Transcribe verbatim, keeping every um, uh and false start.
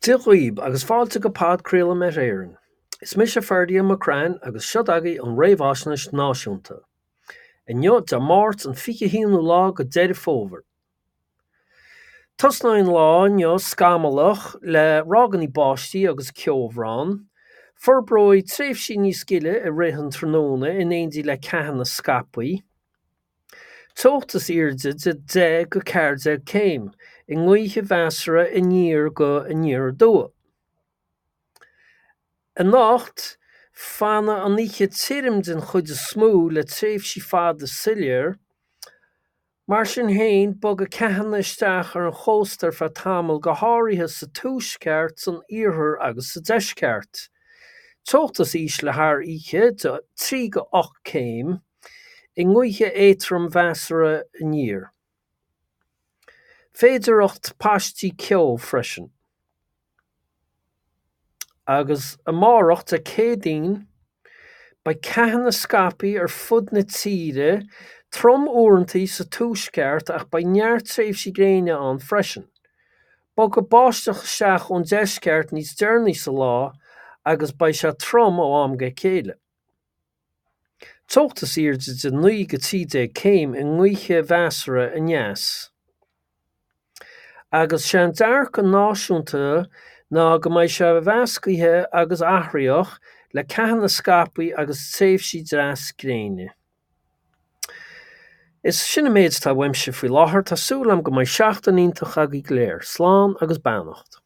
Dia dhaoib agus fáilte go podchraoladh Met Éireann. Is mise Ferdia McCrann agus seo agaibh an réamhaisnéis náisiúnta. Inniu Dé Máirt an fiche haonú lá go Deireadh Fómhair. Tosnóidh an lá inniu scamallach le ráigeanna báistí agus ceobhrán. Forbróidh tréimhsí níos gile i rith an tráthnóna in éindí le ceathanna scaipthe. Teocht is airde de deich go ceathair déag céim, i ngaoth mheasartha aniar go aniar aduaidh. Anocht, fanfaidh an oíche tirim den chuid is mó le tréimhsí fada soiléir. Mar sin féin, bogfaidh ceathanna isteach ar an chósta ar feadh tamaill, go háirithe sa tuaisceart, san iarthar agus sa deisceart. Teocht is ísle thar oíche de trí go ocht céim, i ngaoth éadrom mheasartha aniar. Féidearthacht paistí ceo freisin. Agus amárach, Dé Céadaoin, beidh ceathanna scaipthe ar fud na tíre, trom uaireanta sa tuaisceart ach beidh neart tréimhsí gréine ann freisin. Bogfaidh báisteach isteach ón deisceart níos deireanaí sa lá agus beidh sé trom ó am go chéile. Teocht is airde de naoi go trí déag céim i ngaoth mheasartha aneas. Agus sé an dearcadh náisiúnta ná go mbeidh sé mheasctha agus athraitheach le ceathanna scaipthe agus tréimhsí deas gréine. Is sin an méid atá uaimse faoi láthair, tá súil agam go mbeidh seachtain iontach agaibh go léir. Slán agus beannacht.